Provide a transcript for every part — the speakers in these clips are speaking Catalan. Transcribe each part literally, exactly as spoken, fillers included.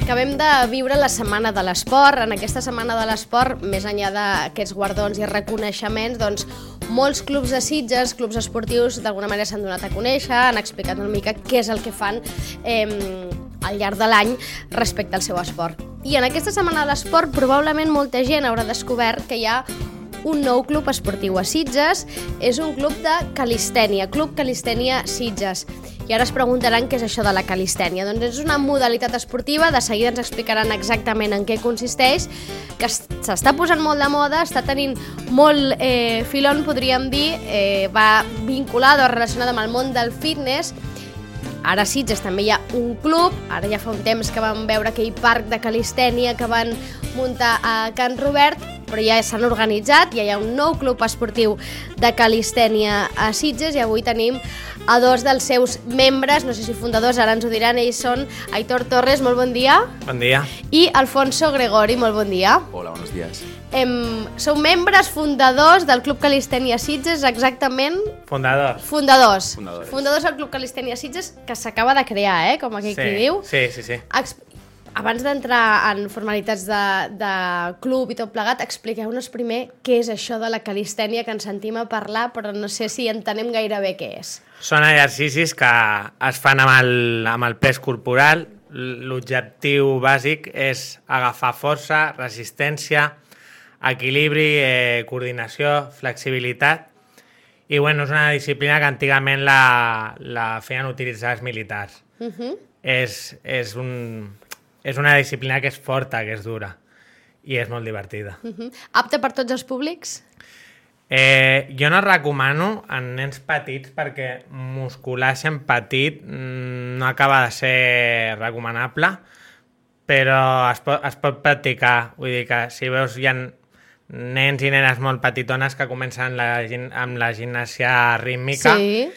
acabem de viure la Setmana de l'Esport. En aquesta Setmana de l'Esport, més enllà d'aquests guardons i reconeixements, doncs, molts clubs de Sitges, clubs esportius, d'alguna manera s'han donat a conèixer, han explicat una mica què és el que fan eh, al llarg de l'any respecte al seu esport. I en aquesta Setmana de l'Esport probablement molta gent haurà descobert que hi ha un nou club esportiu a Sitges. És un club de calistènia, Club Calistènia Sitges. I ara es preguntaran què és això de la calistènia. Doncs és una modalitat esportiva, de seguida ens explicaran exactament en què consisteix, que s'està posant molt de moda, està tenint molt eh, filon, podríem dir, eh, va vinculada o relacionada amb el món del fitness. Ara a Sitges també hi ha un club, ara ja fa un temps que vam veure aquell parc de calistènia que van muntar a Can Robert, però ja s'han organitzat, ja hi ha un nou club esportiu de calistènia a Sitges i avui tenim a dos dels seus membres, no sé si fundadors, ara ens ho diran, ells són Aitor Torres, molt bon dia. Bon dia. I Alfonso Gregori, molt bon dia. Hola, buenos días. Em, sou membres fundadors del Club Calistènia Sitges, exactament? Fundadors. Fundadors. Fundadors. Fundadors del Club Calistènia Sitges, que s'acaba de crear, eh? Com aquell Sí, qui diu. sí, sí, sí. Ex- Abans d'entrar en formalitats de, de club i tot plegat, expliqueu-nos primer què és això de la calistènia, que ens sentim a parlar, però no sé si entenem gaire bé què és. Són exercicis que es fan amb el, amb el pes corporal. L'objectiu bàsic és agafar força, resistència, equilibri, eh, coordinació, flexibilitat. I bueno, és una disciplina que antigament la, la feien utilitzar els militars. Uh -huh. És, és, un, és una disciplina que és forta, que és dura i és molt divertida. Uh -huh. Apte per tots els públics? Eh, jo no recomano en nens petits perquè muscular sent petit no acaba de ser recomanable, però es pot, es pot practicar. Vull dir que si veus hi ha nens i nenes molt petitones que comencen la, amb la gimnàsia rítmica, Sí.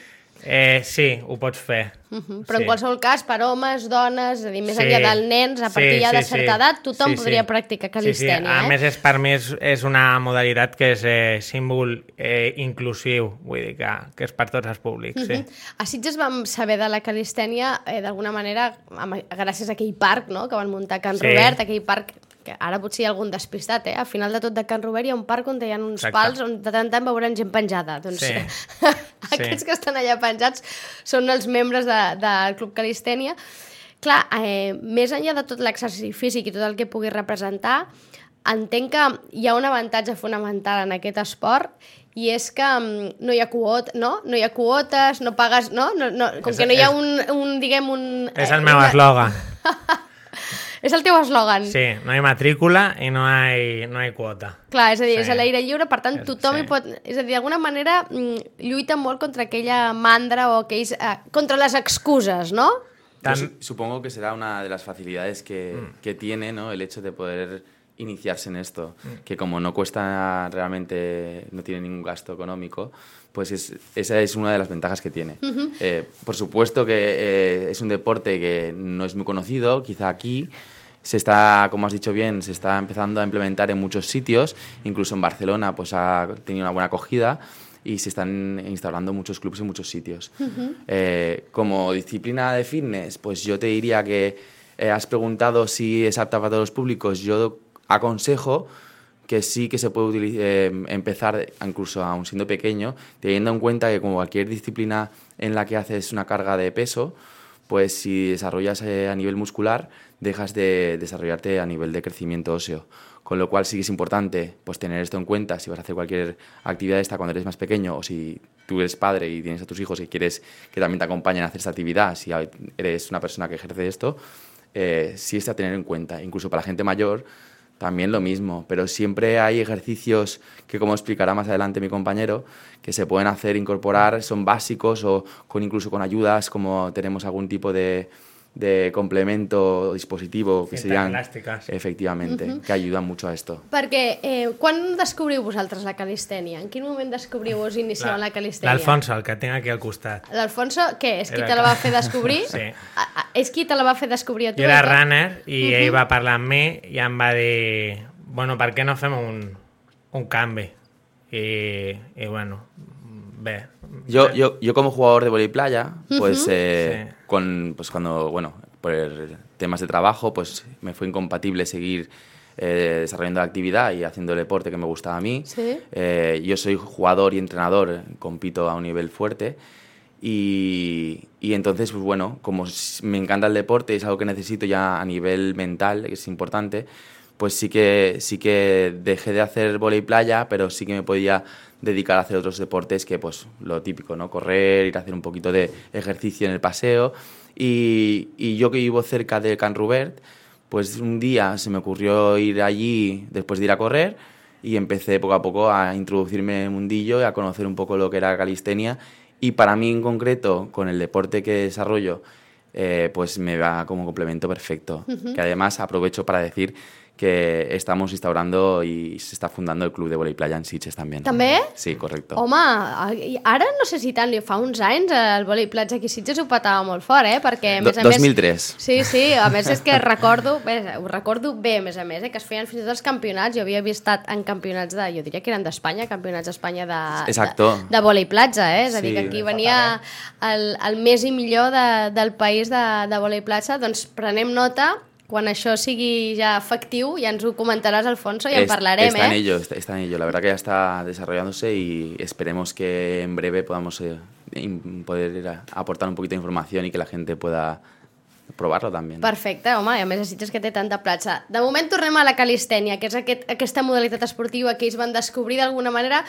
eh, sí, ho pots fer. Uh -huh. Però sí. en qualsevol cas, per homes, dones, és a dir, més Sí. enllà dels nens, a partir Sí, ja de sí, certa sí. edat, tothom Sí, sí. podria practicar calistènia. Sí, sí. A eh? més, és, per mi és, és una modalitat que és eh, símbol eh, inclusiu, vull dir que, que és per tots els públics. Uh -huh. Sí. A Sitges vam saber de la calistènia eh, d'alguna manera amb, gràcies a aquell parc, no?, que van muntar a Can Sí. Robert, aquell parc que ara potser hi ha algun despistat, eh? Al final de tot de Can Robert hi ha un parc on hi ha uns Exacte. pals on de tant en tant veuran gent penjada. Doncs Sí. aquests Sí. que estan allà penjats són els membres de, del Club Calistènia. Clar, eh, més enllà de tot l'exercici físic i tot el que pugui representar, entenc que hi ha un avantatge fonamental en aquest esport i és que um, no hi ha quotes, no? No hi ha quotes, no pagues, no? no, no com És- que no hi ha és- un, un diguem, un... És eh, el meu una- eslògan. És el teu eslògan. Sí, no hi ha matrícula i no hi, no hi ha quota. Clar, és a dir, Sí. és a l'aire lliure, per tant, És- tothom sí. hi pot... És a dir, d'alguna manera mm, lluita molt contra aquella mandra o aquells... Eh, contra les excuses, no? Yo Tam- su- supongo que será una de las facilidades que, Mm. que tiene, ¿no?, el hecho de poder iniciarse en esto, que como no cuesta realmente, no tiene ningún gasto económico, pues es, esa es una de las ventajas que tiene. Eh, por supuesto que eh, es un deporte que no es muy conocido, quizá aquí se está, como has dicho bien, se está empezando a implementar en muchos sitios, incluso en Barcelona pues ha tenido una buena acogida, y se están instalando muchos clubes en muchos sitios. Uh-huh. eh, como disciplina de fitness, pues yo te diría que eh, has preguntado si es apta para todos los públicos. Yo aconsejo que sí que se puede utiliz- eh, empezar, incluso aún siendo pequeño, teniendo en cuenta que como cualquier disciplina en la que haces una carga de peso, pues si desarrollas eh, a nivel muscular, dejas de desarrollarte a nivel de crecimiento óseo. Con lo cual sí que es importante pues tener esto en cuenta si vas a hacer cualquier actividad esta cuando eres más pequeño, o si tú eres padre y tienes a tus hijos y quieres que también te acompañen a hacer esta actividad, si eres una persona que ejerce esto, eh, sí es a tener en cuenta. Incluso para la gente mayor también lo mismo, pero siempre hay ejercicios que, como explicará más adelante mi compañero, que se pueden hacer, incorporar, son básicos, o con incluso con ayudas, como tenemos algún tipo de, de complemento o dispositivo que Cintes serían elàstiques. efectivamente, uh-huh. que ayudan mucho a esto. Perquè eh, quan descobriu vosaltres la calistènia? En quin moment descobriu vos inicieu en la calistènia? L'Alfonso, el que tinc aquí al costat. L'Alfonso, què? És qui Era te la que- va fer descobrir? Sí. A, a, és qui te la va fer descobrir a tu? Jo era Aitor? runner i Mhm. ell va parlar amb mi i em va dir, bueno, per què no fem un, un canvi? I, i bueno, bé. Yo, yo, yo como jugador de vóley playa, pues, Uh-huh. eh, Sí. con, pues cuando, bueno, por temas de trabajo, pues me fue incompatible seguir eh, desarrollando la actividad y haciendo el deporte que me gustaba a mí. ¿Sí? Eh, yo soy jugador y entrenador, compito a un nivel fuerte. Y, y entonces, pues bueno, como me encanta el deporte, es algo que necesito ya a nivel mental, que es importante, pues sí que, sí que dejé de hacer vóley playa, pero sí que me podía dedicar a hacer otros deportes que, pues, lo típico, ¿no? Correr, ir a hacer un poquito de ejercicio en el paseo. Y, y yo que vivo cerca de Can Rubert, pues un día se me ocurrió ir allí después de ir a correr y empecé poco a poco a introducirme en el mundillo y a conocer un poco lo que era calistenia. Y para mí en concreto, con el deporte que desarrollo, eh, pues me va como complemento perfecto. Uh-huh. Que además aprovecho para decir que estamos instaurando i se està fundando el club de vòlei playa en Sitges també. També? Sí, correcte. Home, ara no sé si tant, fa uns anys el vòlei platja aquí a Sitges ho petava molt fort, eh? Perquè, a més a dos mil tres. Més, sí, sí, a més és que recordo, bé, ho recordo bé, a més a més, eh? Que es feien fins i tot els campionats, jo havia vist en campionats de, jo diria que eren d'Espanya, campionats d'Espanya de, de, de vòlei platja, eh? És a dir, que aquí venia el, el més i millor de, del país de, de vòlei platja, doncs prenem nota. Quan això sigui ja efectiu, ya ens ho comentaràs, Alfonso, y en parlarem, está ¿eh? en ello, está, está en ello. La verdad que ya está desarrollándose y esperemos que en breve podamos eh, poder aportar un poquito de información y que la gente pueda provar-lo també. Perfecte, home, i a més a Sitges que té tanta platja. De moment tornem a la calistènia, que és aquest, aquesta modalitat esportiva que ells van descobrir d'alguna manera.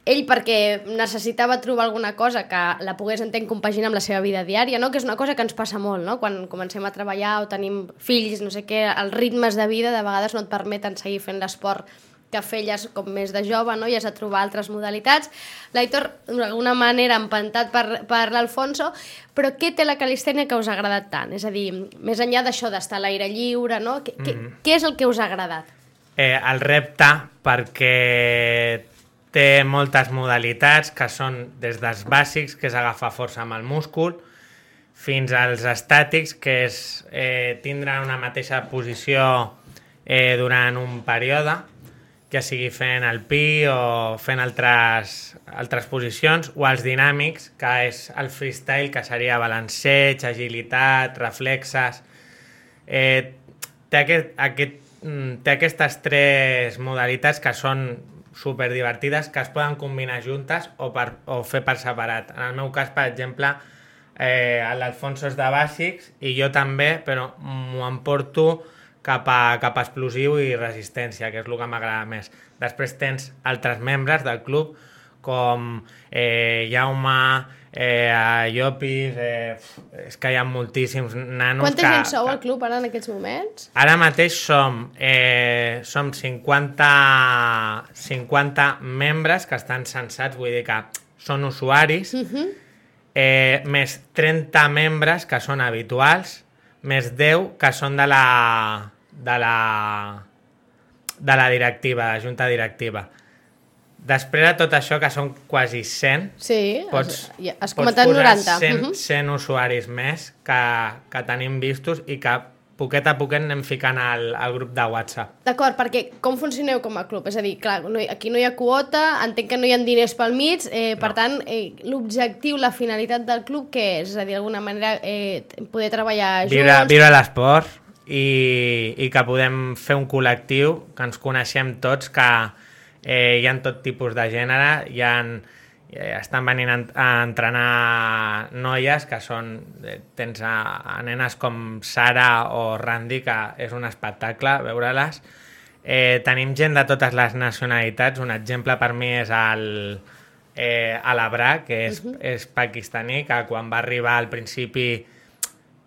Ell perquè necessitava trobar alguna cosa que la pogués, entenc, compaginar amb la seva vida diària, no? Que és una cosa que ens passa molt, no? Quan comencem a treballar o tenim fills, no sé què, els ritmes de vida de vegades no et permeten seguir fent l'esport que feies com més de jove, no? I has de trobar altres modalitats. L'Aitor, d'alguna manera, empantat per, per l'Alfonso, però què té la calistènia que us ha agradat tant? És a dir, més enllà d'això d'estar a l'aire lliure, no? Què, mm-hmm. què és el que us ha agradat? Eh, el repte, perquè té moltes modalitats que són des dels bàsics, que és agafar força amb el múscul, fins als estàtics, que és eh, tindre una mateixa posició eh, durant un període, ja sigui fent el pi o fent altres, altres posicions, o els dinàmics, que és el freestyle, que seria balanceig, agilitat, reflexes. Eh, té, aquest, aquest, té aquestes tres modalitats que són superdivertides, que es poden combinar juntes o, per, o fer per separat. En el meu cas, per exemple, eh, l'Alfonso és de bàsics i jo també, però m'ho emporto cap a, cap a explosiu i resistència, que és el que m'agrada més. Després tens altres membres del club, com eh, Jaume, eh, Llopis, eh, és que hi ha moltíssims nanos. Quanta que, gent sou que... al club ara en aquests moments? Ara mateix som, eh, som cinquanta, cinquanta membres que estan censats, vull dir que són usuaris, uh-huh. eh, més trenta membres que són habituals, més deu que són de la, de la, de la directiva, de la junta directiva. Després de tot això, que són quasi cent, sí, pots, has, has comentat pots posar noranta. cent, uh-huh. cent usuaris més que, que tenim vistos i que poquet a poquet anem ficant al, al grup de WhatsApp. D'acord, perquè com funcioneu com a club? És a dir, clar, no, aquí no hi ha quota, entenc que no hi ha diners pel mig, eh, per no. tant, eh, l'objectiu, la finalitat del club, què és? És a dir, d'alguna manera, eh, poder treballar junts... Viure, viure l'esport i, i que podem fer un col·lectiu, que ens coneixem tots, que eh, hi ha tot tipus de gènere, hi ha... estan venint a entrenar noies que són, tens a, a nenes com Sara o Randy, que és un espectacle veure-les. Eh, tenim gent de totes les nacionalitats. Un exemple per mi és el eh, Alabra, que és, uh-huh. és pakistaní, que quan va arribar al principi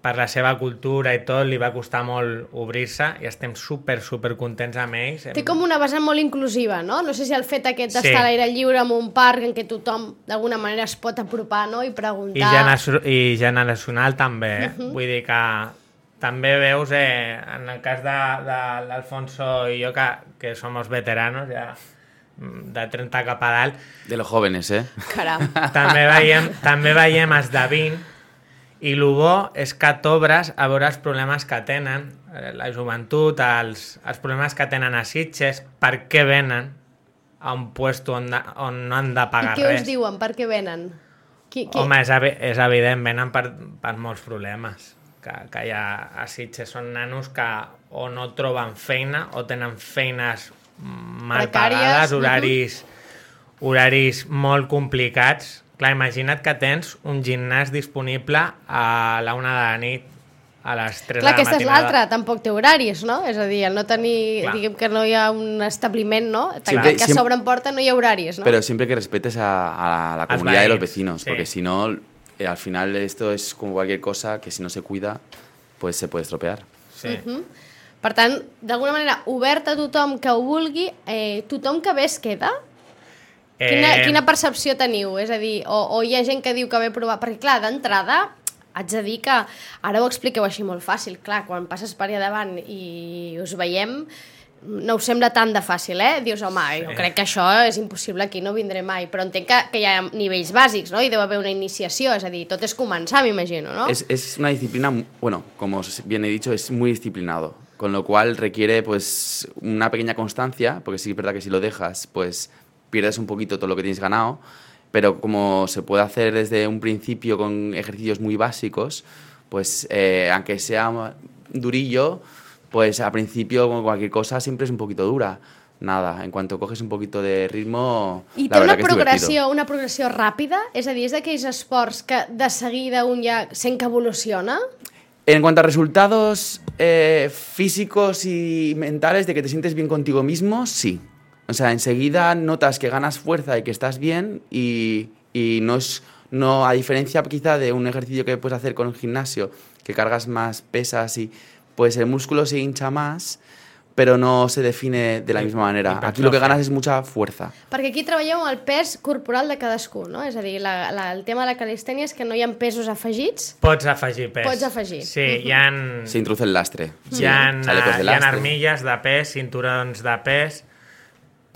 per la seva cultura i tot, li va costar molt obrir-se i estem super, super contents amb ells. Té com una vessant molt inclusiva, no? No sé si el fet aquest d'estar sí. a l'aire lliure en un parc en què tothom d'alguna manera es pot apropar, no? I preguntar... I, gener i generacional també, eh? Uh-huh. Vull dir que també veus, eh, en el cas de, de l'Alfonso i jo, que, que som els veteranos, ja de trenta cap a dalt... De los jóvenes, eh? Caram. També veiem, també veiem els de vint. I el bo és que t'obres a veure els problemes que tenen la joventut, els, els problemes que tenen a Sitges, per què venen a un lloc on, on no han de pagar res. I què us diuen? Per què venen? Qui, qui? Home, és, evi és evident, venen per, per molts problemes que, que hi ha a Sitges són nanos que o no troben feina o tenen feines mal pagades, horaris, horaris molt complicats. Clar, imagina't que tens un gimnàs disponible a la una de la nit, a les tres Clar, de la matinada. Clar, aquesta és l'altra, tampoc té horaris, no? És a dir, el no tenir, Clar. diguem que no hi ha un establiment, no? Siempre, que siempre, s'obren porta no hi ha horaris, ¿no? Pero siempre que respetes a, a la comunidad de los vecinos, sí. Porque si no, eh, al final esto es como cualquier cosa que si no se cuida, pues se puede estropear. Sí. Uh -huh. Per tant, d'alguna manera, obert a tothom que ho vulgui, eh, tothom que ve es queda? Eh... Quina, quina percepció teniu? És a dir, o, o hi ha gent que diu que ve a provar... Perquè, clar, d'entrada, haig de dir que ara ho expliqueu així molt fàcil. Clar, quan passes per allà davant i us veiem, no us sembla tant de fàcil, eh? Dius, home, sí. jo crec que això és impossible, aquí no vindré mai. Però entenc que, que hi ha nivells bàsics, no? I deu haver una iniciació, és a dir, tot és començar, m'imagino, no? Es, es una disciplina, bueno, como bien he dicho, es muy disciplinado. Con lo cual requiere, pues, una pequeña constancia, porque sí es verdad que si lo dejas, pues, pierdes un poquito todo lo que tienes ganado. Pero como se puede hacer desde un principio con ejercicios muy básicos, pues eh, aunque sea durillo, pues al principio con cualquier cosa siempre es un poquito dura. Nada, en cuanto coges un poquito de ritmo, I la verdad que és progressió, divertido. Una progressió ràpida? És a dir, és d'aquells esports que de seguida un ja sent que evoluciona? En cuanto a resultados eh, físicos y mentales de que te sientes bien contigo mismo, sí. O sea, enseguida notas que ganas fuerza y que estás bien y, y no es, no, a diferencia quizá de un ejercicio que puedes hacer con el gimnasio, que cargas más pesas y pues el músculo se hincha más, pero no se define de la misma manera. Aquí lo que ganas es mucha fuerza. Perquè aquí treballeu amb el pes corporal de cadascú, no? És a dir, la, la, el tema de la calistènia és que no hi ha pesos afegits. Pots afegir pes. Pots afegir. Sí, hi ha... Se introduce el lastre. Hi ha, sí. hi ha armilles de pes, cinturons de pes,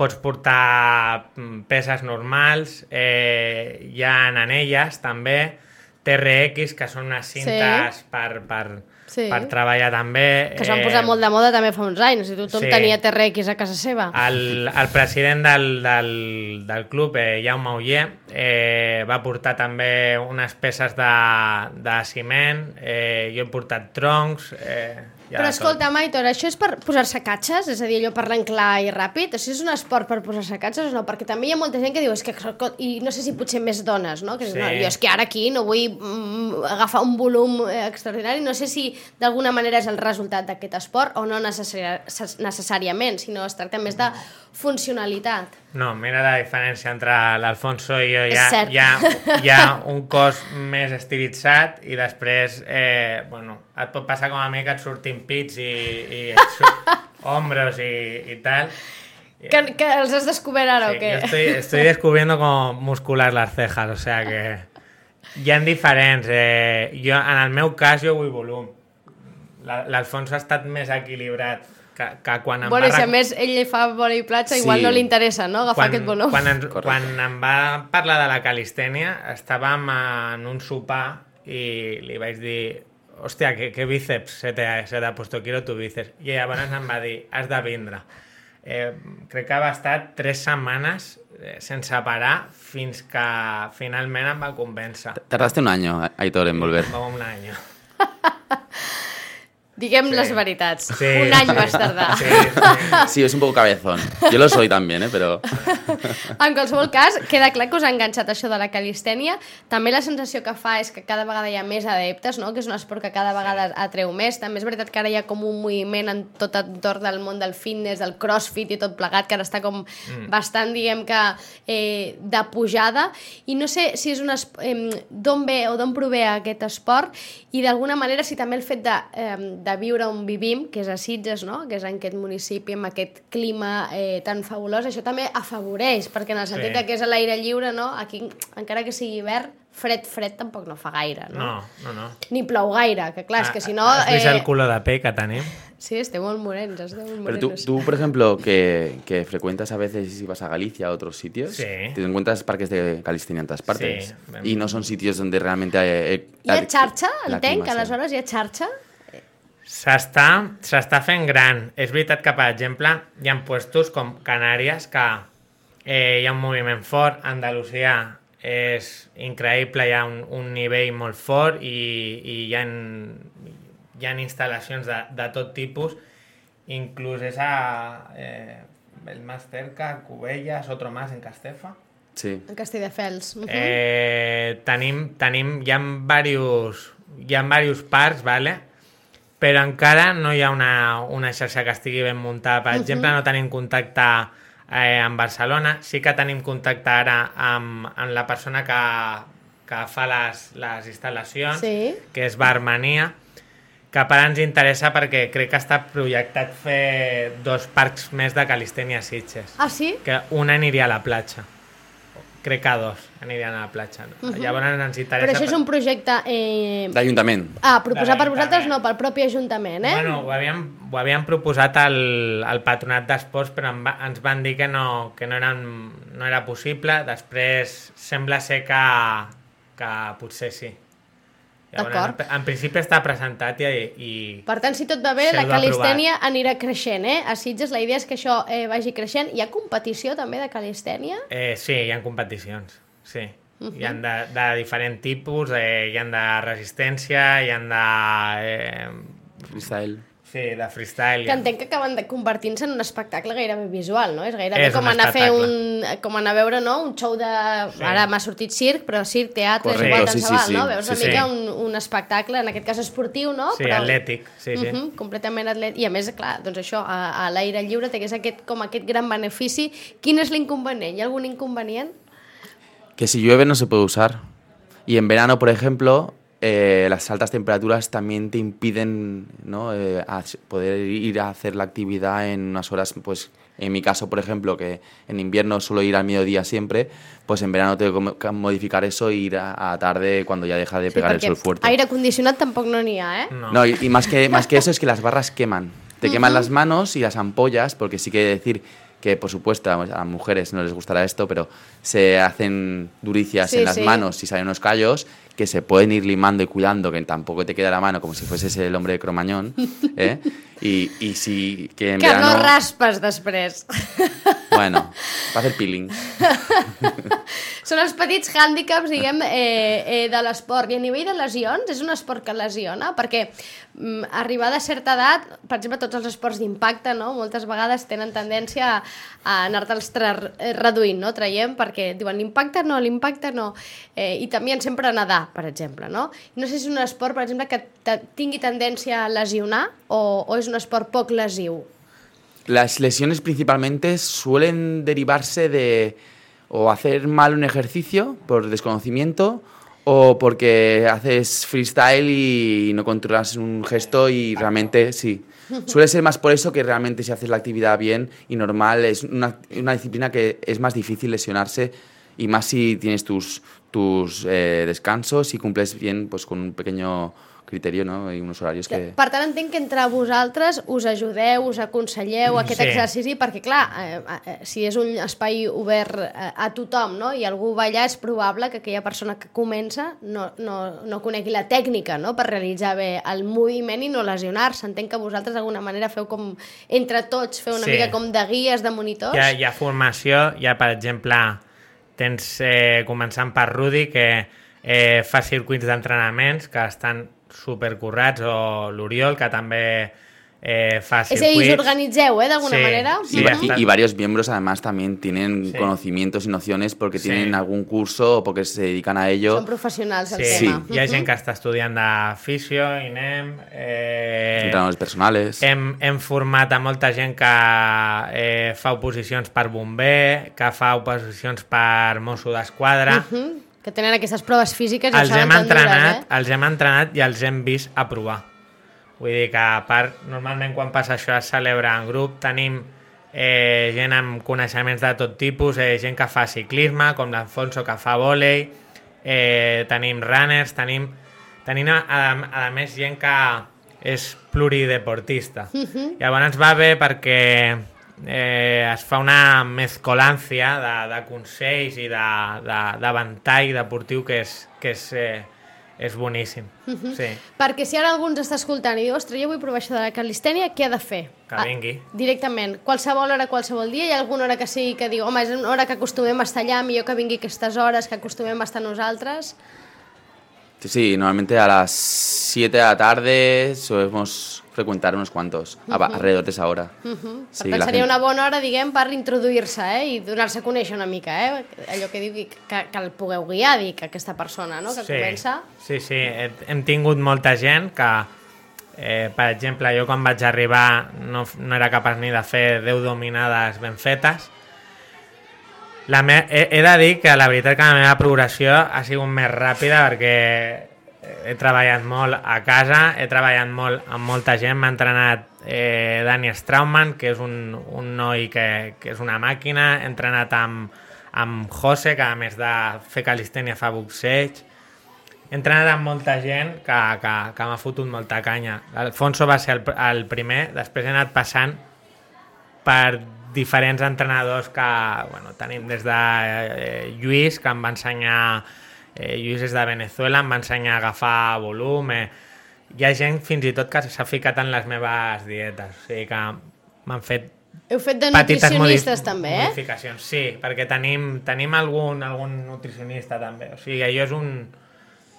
pots portar peses normals, eh, hi ha anelles també, T R X, que són unes cintes sí. per, per, sí. per treballar també. Que s'han posat eh, molt de moda també fa uns anys, i tothom sí. tenia T R X a casa seva. El, el president del, del, del club, eh, Jaume Uller, eh, va portar també unes peces de, de ciment, eh, jo he portat troncs... Eh, Ja Però escolta, Aitor, això és per posar-se catxes? És a dir, allò parlant clar i ràpid? Això és un esport per posar-se catxes o no? Perquè també hi ha molta gent que diu, és que, i no sé si potser més dones, no? Que sí. no, jo és que ara aquí no vull mm, agafar un volum extraordinari, no sé si d'alguna manera és el resultat d'aquest esport o no necessari necessàriament, sinó es tracta més de funcionalitat. No, mira la diferència entre l'Alfonso i jo. Hi ha, hi, ha, hi ha un cos més estilitzat i després, eh, bueno, et pot passar com a mi que et surtin pits i, i et surt hombros i, i tal. Que, que els has descobert ara sí, o què? Yo estoy, estoy descubriendo cómo muscular las cejas, o sea que hi ha diferents. Eh, jo, en el meu cas jo vull volum. L'Alfonso ha estat més equilibrat. Que, que quan em bueno, va... si a més ell li fa bola i platja, sí. igual no li interessa, no?, agafar quan, aquest volum. Quan, en, quan em va parlar de la calistènia, estàvem en un sopar i li vaig dir, hòstia, que, que bíceps se te, se te ha puesto, quiero tu bíceps. I llavors em va dir, has de vindre. Eh, crec que va estar tres setmanes eh, sense parar fins que finalment em va convèncer. Tardaste un año, Aitor, en volver. Va un any. Diguem sí. les veritats. Sí. Un any vas tardar. Sí, sí. sí, es un poco cabezón. Yo lo soy también, ¿eh? Pero... En qualsevol cas, queda clar que us ha enganxat això de la calistènia. També la sensació que fa és que cada vegada hi ha més adeptes, no? Que és un esport que cada vegada atreu més. També és veritat que ara hi ha com un moviment en tot entorn del món del fitness, del crossfit i tot plegat, que ara està com mm. bastant, diguem que, eh, de pujada. I no sé si és un eh, d'on ve o d'on prové aquest esport i d'alguna manera si també el fet de, eh, de de viure on vivim, que és a Sitges, no? Que és en aquest municipi, amb aquest clima eh, tan fabulós, això també afavoreix, perquè en el sentit sí. que és a l'aire lliure, no? Aquí, encara que sigui hivern, fred, fred tampoc no fa gaire, no? No, no, no. Ni plou gaire, que clar, ah, és que si no... Has vist eh... el culo de pell que tenim? Sí, estem molt morens, estem molt Pero morenos. tú, tú, por ejemplo, que, que frecuentas a veces si vas a Galicia a otros sitios, sí. te encuentras parques de calistenia en todas partes. Sí. Y no son sitios donde realmente hay... Eh, hi ha xarxa? Entenc que aleshores hi ha xarxa? S'està s'està fent gran. És veritat que, per exemple, hi ha puestos com Canàries que eh, hi ha un moviment fort, Andalusia és increïble, hi ha un, un nivell molt fort i, i hi ha, hi ha instal·lacions de, de tot tipus, inclús és a eh, el más cerca, Cubellas, otro más en Castefa. Sí. En Castelldefels. Uh -huh. eh, tenim, tenim, hi ha diversos, hi ha diversos parcs, vale? Però encara no hi ha una, una xarxa que estigui ben muntada. Per uh -huh. exemple, no tenim contacte eh, amb Barcelona, sí que tenim contacte ara amb, amb la persona que, que fa les, les instal·lacions, sí. que és Barmania, que per ens interessa perquè crec que està projectat fer dos parcs més de calistènia a Sitges. Ah, sí? Que un aniria a la platja. Crec que dos anirien a la platja. No? Uh -huh. Llavors ens interessa... Però això és un projecte... Eh... D'Ajuntament. Ah, proposat per vosaltres no, pel propi Ajuntament, eh? Bueno, ho havíem, ho havíem proposat al, al Patronat d'Esports, però en va, ens van dir que no, que no, eren, no era possible. Després sembla ser que, que potser sí. Llavors, en, en principi està presentat i... i per tant, si tot va bé, la calistènia anirà creixent, eh? A Sitges la idea és que això eh, vagi creixent. Hi ha competició també de calistènia? Eh, sí, hi ha competicions, sí. Uh -huh. Hi ha de, de diferent tipus, eh, hi ha de resistència, hi ha de... Eh, freestyle. Sí, de freestyle. Que entenc que acaben de convertir-se en un espectacle gairebé visual, no? És gairebé és com un anar a fer espectacle. un... com anar a veure, no? Un show de... Sí. Ara m'ha sortit circ, però circ, teatre, correcte, és igual, tant sí, se sí, val, sí. no? Veus sí, una sí. mica un, un espectacle, en aquest cas esportiu, no? Sí, però... atlètic, sí, sí. Uh -huh, completament atlètic. I a més, clar, doncs això, a, a l'aire lliure té aquest, com aquest gran benefici. Quin és l'inconvenient? Hi ha algun inconvenient? Que si llueve no se puede usar. Y en verano, por ejemplo, eh, las altas temperaturas también te impiden, ¿no? eh, a poder ir a hacer la actividad en unas horas, pues en mi caso, por ejemplo, que en invierno suelo ir al mediodía siempre, pues en verano tengo que modificar eso e ir a, a tarde cuando ya deja de pegar sí, el sol fuerte. Aire condicionat tampoc no n'hi ha, ¿eh? No, no y, y más, que, más que eso es que las barras queman. Te uh-huh. queman las manos y las ampollas, porque sí que decir que, por supuesto, a las mujeres no les gustará esto, pero se hacen duricias sí, en las sí. manos y salen unos callos que se pueden ir limando y cuidando, que tampoco te queda la mano como si fueses el hombre de Cromañón, ¿eh? Y, y si que en que verano... no raspes després. Bueno, va fer peeling. Són els petits hàndicaps, diguem, eh, eh, de l'esport. I a nivell de lesions, és un esport que lesiona? Perquè mm, arribar a certa edat, per exemple, tots els esports d'impacte, no? Moltes vegades tenen tendència a, a anar-te'ls reduint, no? Traient, perquè diuen l'impacte no, l'impacte no. Eh, I també sempre a nedar, per exemple, no? No sé si és un esport, per exemple, que tingui tendència a lesionar o, o és un esport poc lesiu. Las lesiones principalmente suelen derivarse de o hacer mal un ejercicio por desconocimiento o porque haces freestyle y no controlas un gesto y realmente sí. Suele ser más por eso que realmente si haces la actividad bien y normal. Es una, una disciplina que es más difícil lesionarse y más si tienes tus, tus eh, descansos y cumples bien pues con un pequeño criteri, no? I uns horaris que... Per tant, entenc que entre vosaltres us ajudeu, us aconselleu aquest sí. exercici, perquè, clar, eh, eh, si és un espai obert eh, a tothom, no? I algú va allà, és probable que aquella persona que comença no, no, no conegui la tècnica, no?, per realitzar bé el moviment i no lesionar-se. Entenc que vosaltres d'alguna manera feu com, entre tots, feu una sí. mica com de guies, de monitors. Hi ha, hi ha formació, hi ha, per exemple, tens, eh, començant per Rudi, que eh, fa circuits d'entrenaments que estan supercurrats, o l'Oriol, que també eh, fa circuits. És a dir, us organitzeu, ¿eh? De alguna sí, manera. Sí, y, y varios miembros además también tienen sí. conocimientos y nociones porque sí. tienen algún curso o porque se dedican a ello. Són professionals al sí. tema. Sí, hi ha gent que està estudiant de fisio, I N E M... Eh, entrenadors personals. Hem, hem format a molta gent que eh, fa oposicions per bomber, que fa oposicions per mosso d'esquadra... Uh -huh. Que tenen aquestes proves físiques i els hem tan entrenat, dures, eh? Els hem entrenat i els hem vist a provar. Vull dir que, a part, normalment quan passa això es celebra en grup, tenim eh, gent amb coneixements de tot tipus, eh, gent que fa ciclisme, com l'Alfonso que fa vòlei, eh, tenim runners, tenim, tenim a, a, a més gent que és plurideportista. Uh-huh. Llavors va bé perquè eh, es fa una mezcolancia de, de consells i de, de ventall deportiu que és, que és, eh, és boníssim. Uh-huh. Sí. Perquè si ara algú ens està escoltant i diu, ostres, jo vull provar això de la calistènia, què ha de fer? Que vingui. Ah, directament. Qualsevol hora, qualsevol dia? Hi ha alguna hora que sigui que diu, home, és una hora que acostumem a estar allà, millor que vingui aquestes hores, que acostumem a estar nosaltres? Sí, sí, normalmente a las siete de la tarde solemos frecuentar unos cuantos, uh -huh. alrededor de esa hora. Uh -huh. Sí, per tant, seria gent... una bona hora, diguem, per introduir-se eh? I donar-se a conèixer una mica, eh? Allò que diu que, que el pugueu guiar, dic, aquesta persona, no?, que sí, comença... Sí, sí, hem tingut molta gent que, eh, per exemple, jo quan vaig arribar no, no era capaç ni de fer deu dominades ben fetes. La me... he, he de dir que la veritat que la meva progressió ha sigut més ràpida perquè he treballat molt a casa, he treballat molt amb molta gent, m'ha entrenat eh, Dani Straumann, que és un, un noi que, que és una màquina, he entrenat amb, amb José, que a més de fer calistènia fa boxeig, he entrenat amb molta gent que, que, que m'ha fotut molta canya. Alfonso va ser el, el primer, després he anat passant per diferents entrenadors que, bueno, tenim des de eh, Lluís, que em va ensenyar, eh, Lluís és de Venezuela, em va ensenyar a agafar volum, eh, hi ha gent fins i tot que s'ha ficat en les meves dietes, o sigui que m'han fet Heu fet de petites nutricionistes també, eh? modificacions. Sí, perquè tenim, tenim algun, algun nutricionista també, o sigui, allò és un,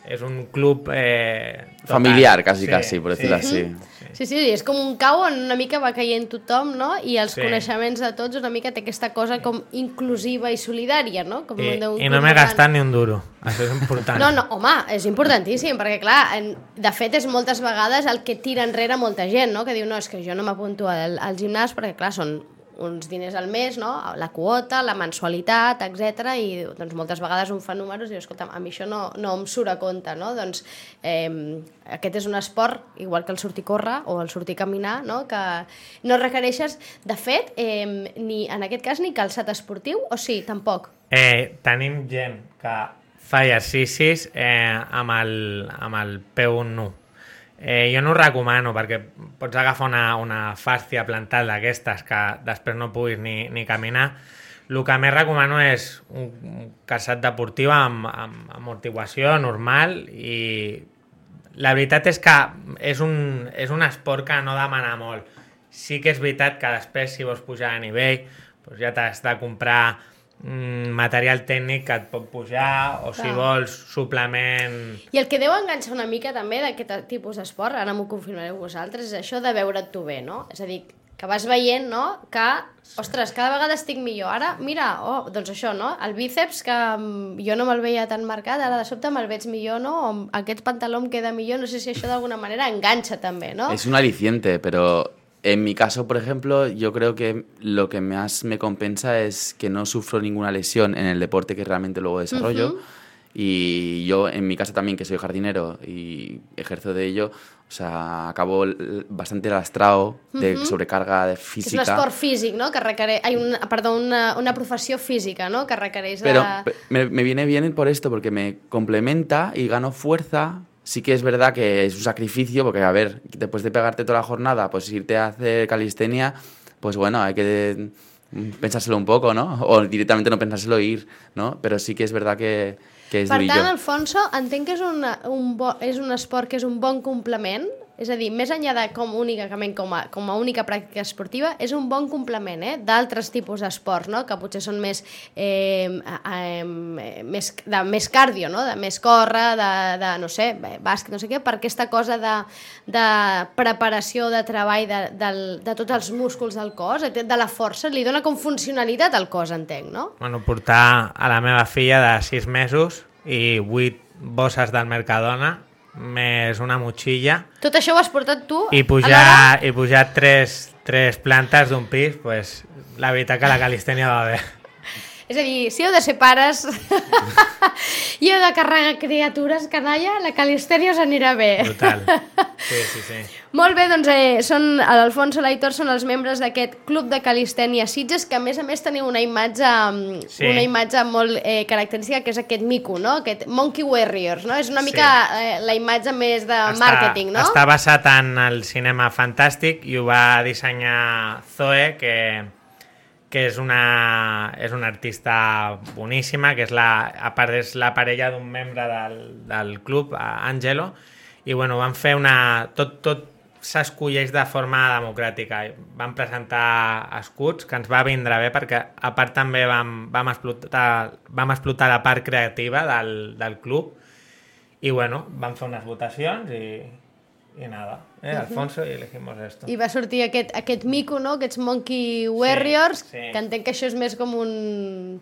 és un club eh, total. Familiar, quasi, sí, quasi, por decirlo sí. así. Sí, sí, és com un cau on una mica va caient tothom, no? I els Sí. coneixements de tots una mica té aquesta cosa com inclusiva i solidària, no? Com I, d'un i no club m'he gran. gastat ni un duro, això és important. No, no, home, és importantíssim, perquè clar, en, de fet és moltes vegades el que tira enrere molta gent, no? Que diu, no, és que jo no m'apunto al, al gimnàs perquè clar, són uns diners al mes, no? La quota, la mensualitat, etcètera. I doncs moltes vegades un fa números i diu, escolta, a mi això no, no em surt a compte, no? Doncs eh, aquest és un esport, igual que el sortir a córrer o el sortir a caminar, no? Que no requereixes, de fet, eh, ni en aquest cas ni calçat esportiu, o sí, tampoc? Eh, tenim gent que fa exercicis eh, amb, el, amb el peu nu. Eh, jo no ho recomano perquè pots agafar una, una fàscia plantal d'aquestes que després no puguis ni, ni caminar. El que més recomano és un calçat deportiu amb, amb amortiguació normal i la veritat és que és un, és un esport que no demana molt. Sí que és veritat que després si vols pujar a nivell doncs ja t'has de comprar material tècnic que et pot pujar o si Clar. vols suplement... I el que deu enganxar una mica també d'aquest tipus d'esport, ara m'ho confirmareu vosaltres, és això de veure't tu bé, no? És a dir, que vas veient, no?, que, ostres, cada vegada estic millor. Ara, mira, oh, doncs això, no?, el bíceps, que jo no me'l veia tan marcat, ara de sobte me'l veig millor, no?, o aquest pantaló em queda millor, no sé si això d'alguna manera enganxa també, no? Es un aliciente, pero... En mi caso, por ejemplo, yo creo que lo que más me compensa es que no sufro ninguna lesión en el deporte que realmente luego desarrollo. Uh-huh. Y yo, en mi casa también, que soy jardinero y ejerzo de ello, o sea, acabo bastante lastrado de uh-huh. sobrecarga de física. És un esport físic, no?, que requereix... Ai, una, perdó, una, una professió física, no?, que requereix de... Pero me, me viene bien por esto, porque me complementa y gano fuerza. Sí que es verdad que es un sacrificio, porque, a ver, después de pegarte toda la jornada, pues irte a hacer calistenia, pues bueno, hay que pensárselo un poco, ¿no? O directamente no pensárselo e ir, ¿no? Pero sí que es verdad que, que és per durillo. tant, Alfonso, entenc que és, una, un bo, és un esport que és un bon complement, és a dir, més enllà de com únicament com a, com a única pràctica esportiva, és un bon complement eh, d'altres tipus d'esports, no?, que potser són més, eh, eh, més, de més cardio, no?, de més córrer, de, de no sé, bàsquet, no sé què, per aquesta cosa de, de preparació, de treball de, de, de tots els músculs del cos, de la força, li dona com funcionalitat al cos, entenc, no? Bueno, portar a la meva filla de sis mesos i vuit bosses del Mercadona més una motxilla Tot això ho has portat tu? i pujar, i pujar tres, tres plantes d'un pis, pues, la veritat que la calistènia va bé. És a dir, si heu de ser pares i heu de carregar criatures, canalla, la calistènia us anirà bé. Total. Sí, sí, sí. Molt bé, doncs eh, són l'Alfonso i l'Aitor són els membres d'aquest club de calistènia Sitges, que a més a més teniu una imatge, sí. una imatge molt eh, característica, que és aquest mico, no? Aquest Monkey Warriors, no? És una mica sí. eh, la imatge més de està, màrqueting, no? Està basat en el cinema fantàstic i ho va dissenyar Zoe, que... que és una, és una artista boníssima, que és la, a part és la parella d'un membre del, del club, Angelo, i bueno, van fer una... Tot, tot s'escolleix de forma democràtica. Van presentar escuts, que ens va vindre bé, perquè a part també vam, vam, explotar, vam explotar la part creativa del, del club, I bueno, vam fer unes votacions i, i nada, eh, Alfonso, i elegimos esto. I va sortir aquest, aquest mico, no? Aquests Monkey Warriors, sí, sí. que entenc que això és més com un,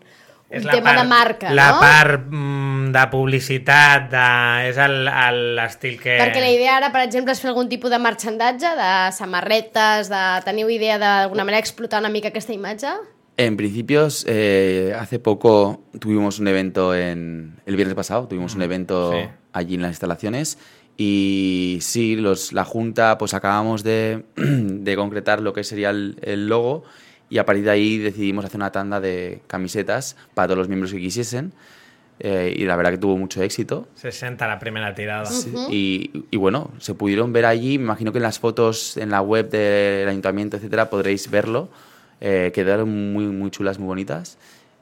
un és tema part, de marca, la no? La part mm, de publicitat, de, és l'estil que... Perquè la idea ara, per exemple, és fer algun tipus de marxandatge, de samarretes, de... Teniu idea d'alguna manera explotar una mica aquesta imatge? En principios, eh, hace poco tuvimos un evento en el viernes pasado, tuvimos un evento sí. allí en las instalaciones y sí, los, la Junta pues acabamos de, de concretar lo que sería el, el logo y a partir de ahí decidimos hacer una tanda de camisetas para todos los miembros que quisiesen eh, y la verdad que tuvo mucho éxito. sesenta la primera tirada. Sí, uh-huh. y, y bueno, se pudieron ver allí, me imagino que en las fotos en la web del ayuntamiento, etcétera, podréis verlo. Eh, quedaron muy, muy chulas, muy bonitas.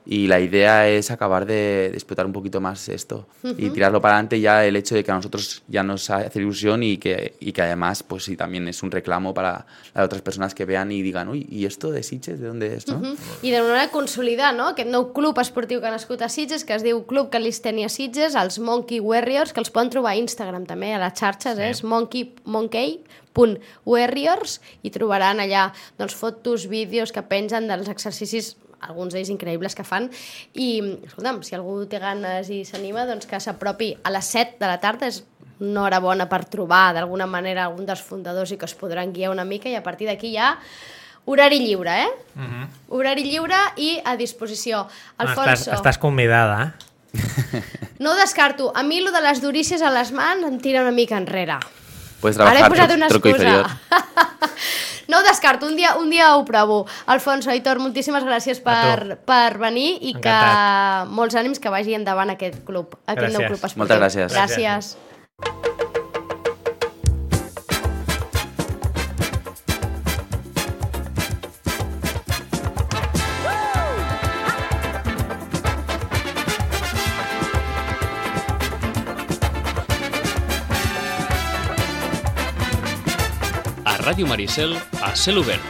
Y la idea es acabar de, de explotar un poquito más esto uh-huh. y tirarlo para adelante ya el hecho de que a nosotros ya nos hace ilusión y que, y que además pues sí también es un reclamo para las otras personas que vean y digan uy, ¿y esto de Sitges de dónde es? ¿No? Uh-huh. I de manera consolidar, no? Aquest nou club esportiu que ha nascut a Sitges, que es diu Club Calistènia Sitges, els Monkey Warriors, que els poden trobar a Instagram també, a les xarxes, sí. és monkey, monkey punt warriors i trobaran allà doncs, fotos, vídeos que pengen dels exercicis, alguns d'ells increïbles que fan i, escolta'm, si algú té ganes i s'anima, doncs que s'apropi a les set de la tarda, és una hora bona per trobar d'alguna manera algun dels fundadors i que es podran guiar una mica i a partir d'aquí ja horari lliure, eh? Uh-huh. Horari lliure i a disposició. Alfonso... Estàs, estàs convidada, eh? No ho descarto. A mi, lo de les durícies a les mans em tira una mica enrere. Puedes trabajar, ara he posat una truco inferior. No ho descarto, un dia, un dia ho provo. Alfonso, Aitor, moltíssimes gràcies per, per venir i Encantat. Que molts ànims que vagi endavant aquest club, aquest gràcies. Nou club esportiu. Moltes gràcies. Gràcies. Ràdio Maricel a cel obert.